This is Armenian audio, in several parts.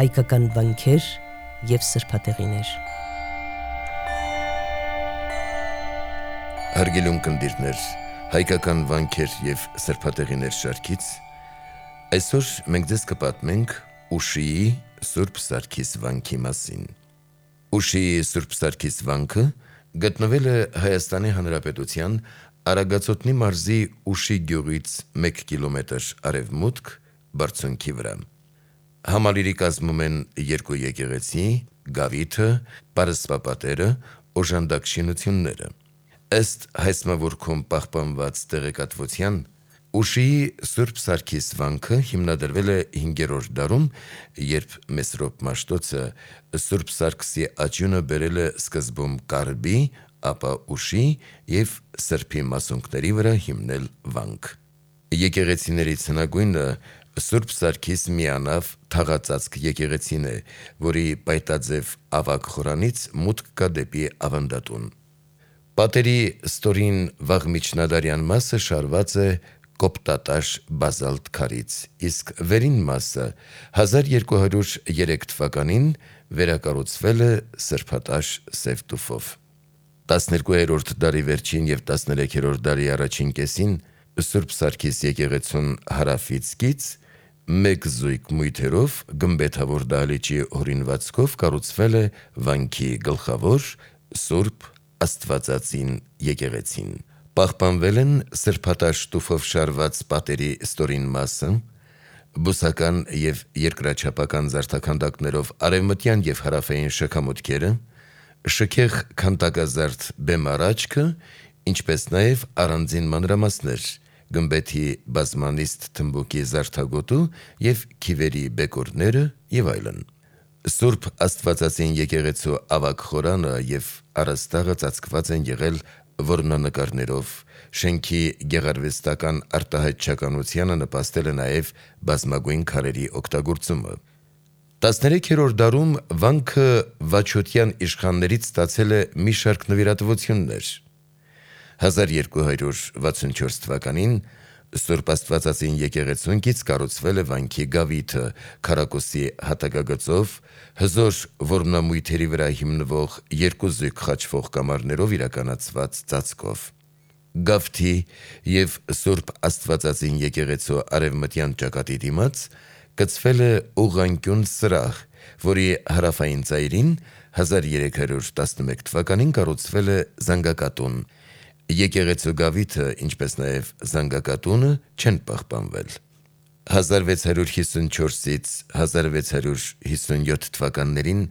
հայկական վանքեր և սրբատեղիներ։ Հարգելի ունկնդիրներ, հայկական վանքեր և սրբատեղիներ շարքից այսօր մենք ձեզ կպատմենք Ուշիի Սուրբ Սարգիս վանքի մասին։ Ուշիի Սուրբ Սարգիս վանքը գտնվել է Հայաստանի Հանրապետության Արագածոտնի մարզի Ուշի գյուղից 1 կիլոմետր արևմուտք բարձունքի վրա։ Համալիրի կազմում են 2 եկեղեցի, գավիթը, պարսպապատերը, օժանդակ շինությունները։ Ըստ հայցմավորքում պահպանված տեղեկատվության, Ուշիի Սուրբ Սարգիս վանքը հիմնադրվել է 5-րդ դարում, երբ Մեսրոպ Մաշտոցը Սուրբ Սարգսի աճյունը բերել է սկզբում Կարբի, ապա Ուշի և Սրբի մասունքների վրա հիմնել վանք։ Եկեղեցիներից հնագույնը Սուրբ Սարգիս միանավ թաղածածկ եկեղեցին է, որի պայտաձև ավագ խորանից մուտք կա դեպի ավանդատուն։ Պատերի ստորին վաղ միջնադարյան մասը շարված է կոպտատաշ բազալտ քարից, իսկ վերին մասը 1203 թվականին վերակառուցվել է սրբատաշ սև տուֆով։ 12-րդ դարի վերջին և 13-րդ դարի առաջին կեսին Սուրբ Սարգիս եկեղեցուն հարավից կից մեկ զույգ մույթերով գմբեթավոր դահլիճի հորինվածքով կառուցվել է վանքի գլխավոր Սուրբ Աստվածածին եկեղեցին։ Պահպանվել են սրբատաշ տուֆով շարված պատերի ստորին մասը, բուսական և երկրաչափական զարդաքանդակներով արևմտյան և հարավային շքամուտքերը, շքեղ քանդակազարդ բեմառաչքը, ինչպես նաև առանձին մանրամասներ, գմբեթի բազմանիստ թմբուկի զարդագոտու և քիվերի բեկորները և այլն։ Սուրբ Աստվածածին եկեղեցու ավագ խորանը և առաստաղը ծածկված են եղել որմնանկարներով, շենքի գեղարվեստական արտահայտչականությանը նպաստել է նաև բազմագույն քարերի օգտագործումը։ 13-րդ դարում վանքը Վաչոտյան իշխաններից ստացել է մի շարք նվիրատվություններ։ 1264 թվականին Սուրբ Աստվածածին եկեղեցուն կառուցվել է վանքի գավիթը քառակուսի հատակագծով, հզոր որմնամույթերի վրա հիմնվող 2 զույգ խաչվող կամարներով իրականացված ծածկով։ Գավթի և Սուրբ Աստվածածին եկեղեցու արևմտյան ճակատի դիմաց գծվել է ուղղանկյուն սրահ, որի հարավային ծայրին 1311 թվականին կառուցվել է զանգակատուն։ Եկեղեցու գավիթը, ինչպես նաև զանգակատունը չեն պահպանվել։ 1654-ից 1657 թվականներին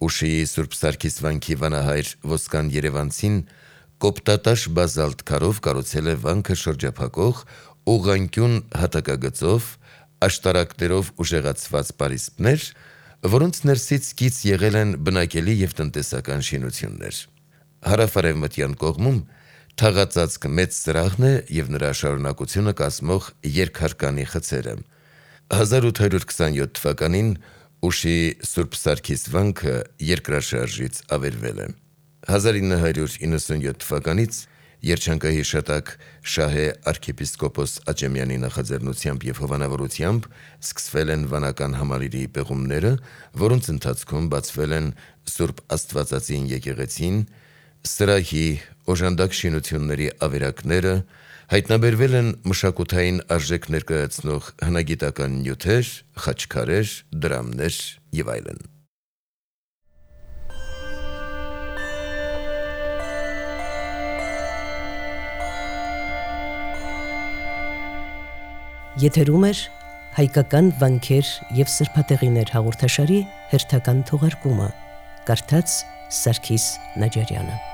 Ուշիի Սուրբ Սարգիս վանքի վանահայր Ոսկան Երևանցին կոպտատաշ բազալտ քարով կառուցել է վանքը շրջափակող ուղղանկյուն հատակագծով, աշտարակներով ուժեղացված պարիսպներ, որոնց ներսից կից եղել են բնակելի և տնտեսական շինություններ։ Հարավ-արևմտյան կողմում թաղածածկ մեծ սրահն է և նրա շարունակությունը կազմող երկհարկանի խցերը։ 1827 թվականին Ուշիի Սուրբ Սարգիս վանքը երկրաշարժից ավերվել է։ 1997 թվականից երջանկահիշատակ Շահե arczepiskopos Աճեմյանի նախաձեռնությամբ և հովանավորությամբ սկսվել են վանական համալիրի պեղումները, որոնց ընթացքում բացվել են Սուրբ Աստվածածին եկեղեցին, սրահի, օժանդակ շինությունների ավերակները, հայտնաբերվել են մշակութային արժեք ներկայացնող հնագիտական նյութեր, խաչքարեր, դրամներ և այլն։ Եթերում է հայկական վանքեր և սրբատեղիներ հաղորդաշարի հերթական թողարկումը, կարդաց Սարգիս Նաջարյանը։